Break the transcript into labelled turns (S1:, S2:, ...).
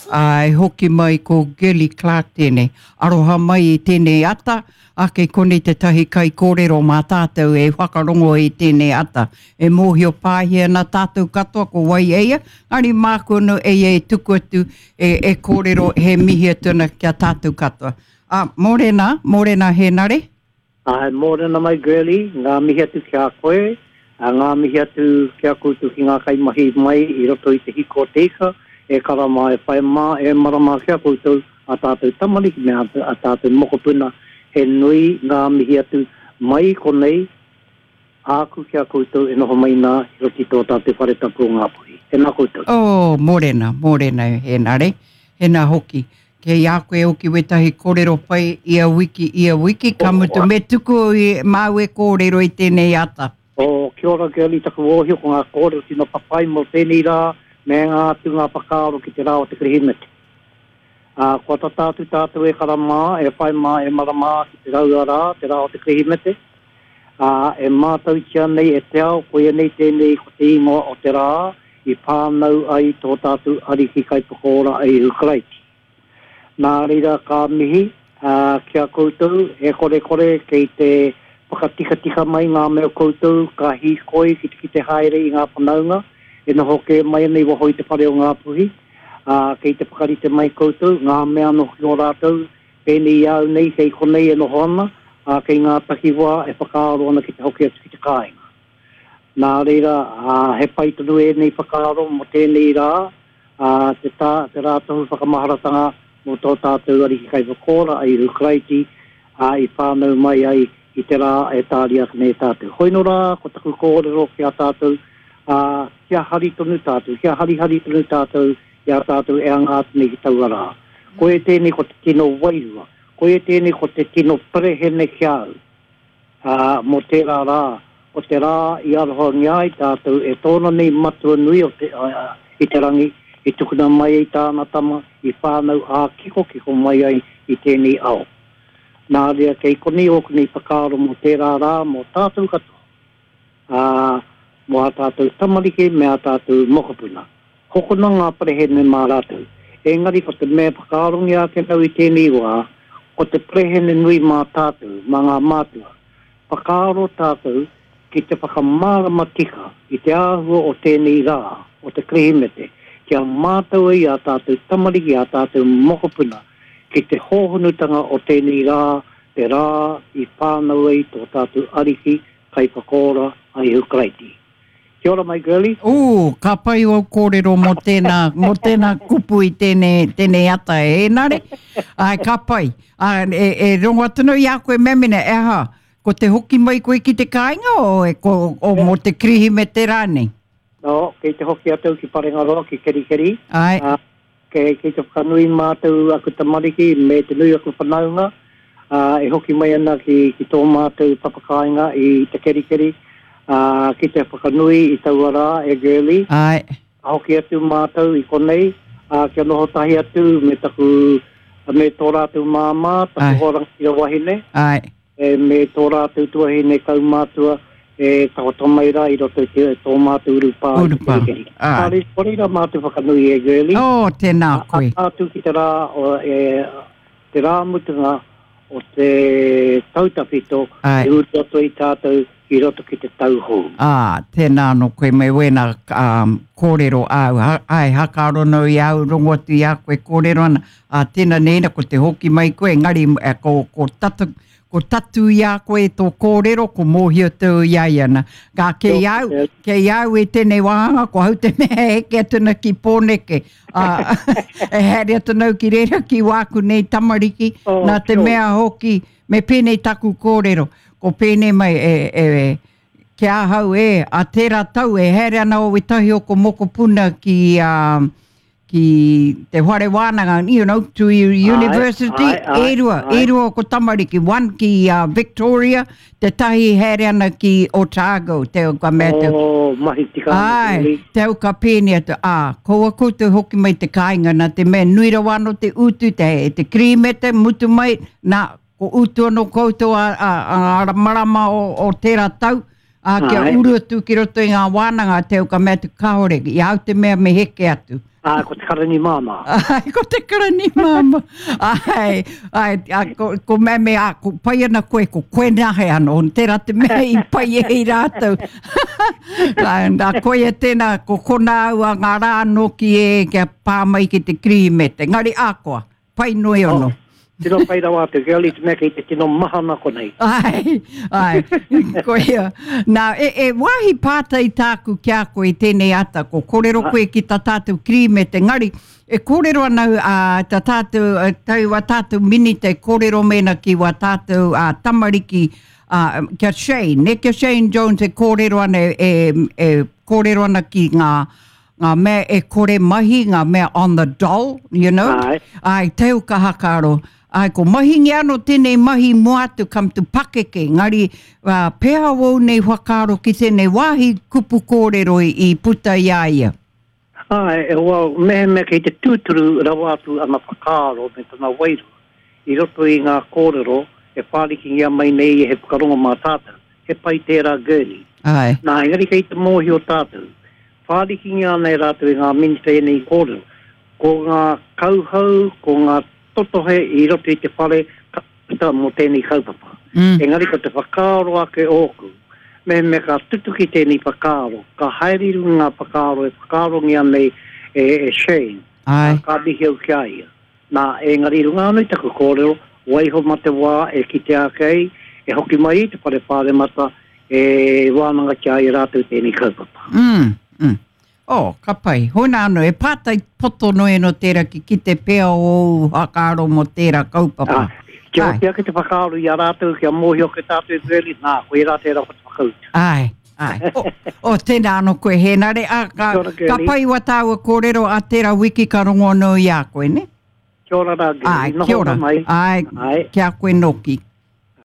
S1: Ā, e hoki mai ko Girlie Clark tēnei. Aroha mai i tēnei ata, ā, kei konei tētahi kaikōrero mā tātou e whakarongo i tēnei ata. E mōhio pāhi ana tātou katoa ko wai eia, engari māku anō eia e tuku atu, e, e kōrero he mihi atu ana ki a tātou katoa. Ā, mōrena, mōrena Hēnare.
S2: Āe, mōrena mai Girlie, ngā mihi atu ki a koe, ā, ngā mihi atu ki a koutou ki ngā kaimahi mai i roto i te hiko o te ika, e kara mā, e whai mā, e mara mā ki a koutou, a tātou tamariki me a tātou mokopuna, he nui ngā mihi atu mai i konei, Āku ki a koutou e noho mai nā i roto i tō tātou whare tapu o Ngāpuhi. Tēnā koutou.
S1: Oh, mōrena, mōrena e Hēnare. Hēnā hoki. Kei a koe hoki wētahi kōrero pai ia wiki, ia wiki, ka mutu me tuku i, māu e kōrero i tēnei ata.
S2: Oh, kia ora Girlie, taku ōhio ko ngā kōrero tino papai mō tēnei rā me ngā atu ngā whakaaro ki te rā o te Kirihimete. Ā, kua tata atu tātou e kara mā, e whai mā, e mara mā ki te raua rā, te rā o te Kirihimete. Ā, e mātautia nei e te ao, koia nei tēnei ko te ingoa o te rā i whānau ai tō tātou Ariki Kaiwhakaora a Ihu Karaiti. Nā reira ka mihi, ā, ki a koutou, e korekore kei te whakatikatika mai ngā mea koutou ka hīkoi ki te kite haere i ngā whanaunga e noho kē mai ana i waho i te whare o Ngāpuhi, ā, kei te whakarite mai koutou ngā mea anō hoki o rātou Pēnei i a au nei kei konei e noho ana, ā, kei ngā takiwā e whakaaro ana ki te hoki atu ki te kāinga. Nā reira, ā, he pai tonu ēnei whakaaro mō tēnei rā, ā, te tā, te rā tohu whakamaharatanga mō tō tātou Ariki Kaiwhakaora, a Ihu Karaiti, ā, i whānau mai ai i te rā e tāria ake nei e tātou. Hoino rā, ko taku kōrero ki a tātou, ā, kia hari tonu tātou, kia harihari tonu tātou i a tātou e anga atu nei ki taua rā. Koia tēnei ko te tino wairua, koia tēnei ko te tino perehene ki a au, ā, mō tērā rā, ko te rā i arohangia ai tātou e tōna nei Matua nui o te, i te rangi, i tukuna mai ai tāna Tama, i whānau ā-kikokiko mai ai i tēnei ao. Nā reira, kei konei ōku nei whakaaro mō tērā rā, mō tātou katoa. ā, mō ā tātou tamariki me ā tātou mokopuna. Hokona ngā perehene mā rātou. Engari ko te mea whakaarongia ake nau i tēnei wā, ko te perehene nui mā tātou, mā ngā mātua. Whakaaro tātou ki te whakamārama tika i te āhua o tēnei rā, o te Kirihimete, kia mātau ai ā tātou tamariki, ā tātou mokopuna ki te hōhonutanga o tēnei rā, te rā i whānau ai tō tātou Ariki, Kaiwhakaora a Ihu Karaiti. Kia ora mai Girlie.
S1: Ooh, ka pai ō kōrero mō tēnā, mō tēnā kupu i tēnei, tēnei ata e Hēnare. Āe, ka pai. Ā, e, e rongo atu nei i a koe Memene, e aha, ko te hoki mai koe ki te kāinga o, e, ko, o mō te Kirihimete rānei?
S2: No, kei te hoki atu ki Parengaroa, ki Kerikeri.
S1: Āe.
S2: Ā, Kei, kei te whakanui mātou aku tamariki me te nui aku whanaunga, ā, e hoki mai ana ki, ki tō mātou papakāinga i Te Kerikeri, ā, ki te whakanui i taua rā e Girlie.
S1: Āe.
S2: Ka hoki atu mātou i konei, ā, kia noho tahi atu me taku, me tō rātou māmā, taku hoa rangatira wahine.
S1: Āe.
S2: E me tō rātou tuahine kaumātua e takoto mai rā i roto i te, tō mātou urupā i te Kerikeri.
S1: Āe.
S2: Nā ko reira mātou whakanui e Girlie.
S1: Oh, tēnā koe.
S2: Ā, atu ki te rā, o, e, te rā mutunga o te tau tawhito,
S1: Āe.
S2: e uru atu ai tātou i roto ki te tau hou.
S1: Ā, tēnā anō koe me wēnā um, kōrero āu. Ha, āe, hakaaro nau i au, rongo atu i a koe kōrero ana. Ā, tēnā nēina, ko te hoki mai koe, engari e, ko, ko, tatu, ko tatu i a koe tō kōrero, ko mōhio tau i a ia ana. Kā, kei au, kei au e tēnei wāhanga, ko hau te mea e heke atu ana ki Pōneke. Ā, e haere atu nau ki reira ki wāku nei tamariki,
S2: Oh,
S1: nā te
S2: kia ora.
S1: mea hoki, Me pēnei taku kōrero, ko pēnei mai e, e, ki ahau e, a tērā tau e haere ana o wetahi o ko mokopuna ki, uh, ki te whare wānanga, you know, to university,
S2: ai, ai,
S1: e rua,
S2: ai.
S1: e rua ko tamariki, one ki uh, Victoria, te tahi haere ana ki Otago, te au ka mea te...
S2: Oh, mahi tika ana,
S1: Ai, te au ka pēnei atu, ā, kaua koutou hoki mai te kāinga, nā te mea nui rawa anō te utu, te, te kirīmete, mutu mai, nā, ko utu anō koutou a, a, a, a marama o, o tērā tau, ā, kia
S2: Āe.
S1: uru atu ki roto i ngā wānanga, te au ka mea atu, kāore, i a au te mea me heke atu.
S2: Ā, ko te karani māmā.
S1: Ai, ko te karani māmā. Ai, ai, a, ko, ko meme, a, ko pai ana koe, ko koe nahe ano, tērā te mea i pai e i rātou. Nā, nā, koia tēnā, ko kona au a ngā rā anō ki e, kia pā mai ki te Kirihimete. Ngari ākoa, pai noi ono.
S2: Oh. Tino pai rawa atu, ke ali te mea kei te tino mahana konei.
S1: Ai, ai, koia. Nā, e, e wāhi pātai tāku ki a koe i tēnei ata, ko kōrero koe ki tā tātou Kirihimete, ngari, e kōrero ana a, tā tātou, tau a tātou minita e kōrero mēnā ki wā tātou a, tamariki, a, kia Shane, ne, kia Shane Jones e kōrero ana, e, e kōrero ana ki ngā, ngā mea e kore mahi, ngā mea on the dole, you know.
S2: Ai.
S1: Ai, teu ka hakaro. Ai, ko mahingi ano tēnei mahi mua atu come to pakeke, ngari uh, pēhea wou nei whakaaro ki tēnei wāhi kupu kōrero i, i puta i a ia?
S2: Ai, e, well, mehemea kei te tūturu rawa atu ana whakaaro me tana wairua i roto i ngā kōrero e whārikingia mai nei e he whakarongo mā tātou, he pai tērā Gurney.
S1: Ai.
S2: Nā, engari kei te mōhio tātou, Whārikingia ana e rātou e ngā minita ēnei kōrero. Ko ngā kauhau, ko ngā totohe i roto i te whare ka puta mō tēnei kaupapa. Engari ko te whakaaro ake ōku, mehemea ka tutuki tēnei whakaaro, ka haere i runga ngā whakaaro e whakaarongia nei e Shane, ā, ka mihi au ki a ia. Nā, engari i runga anō i taku kōrero, waiho mā te wā e kitea ake ai, e hoki mai ai te Whare Pāremata, e wānangatia ai e rātou tēnei kaupapa.
S1: Mm, mm. Oh, ka pai. Hona anō, e pātai poto noe no tērā ki kite pea o ōu whakaaro mō tērā kaupapa.
S2: Ah, kia oti ake te whakaaro i a rātou, kia mōhio ake tātou e Gurley, nā, koirā tērā ko te whakautu.
S1: Āe, āe. O, o, tēnā anō koe, Hēnare. A, ka,
S2: Kia ora,
S1: ka
S2: Gurley.
S1: pai wa tāua kōrero a tērā wiki ka rongo anō i a koe, ne?
S2: Kia ora rā, Gurley.
S1: Āe,
S2: Noho
S1: kia ora.
S2: mai.
S1: Āe,
S2: Āe.
S1: kia koe nōki.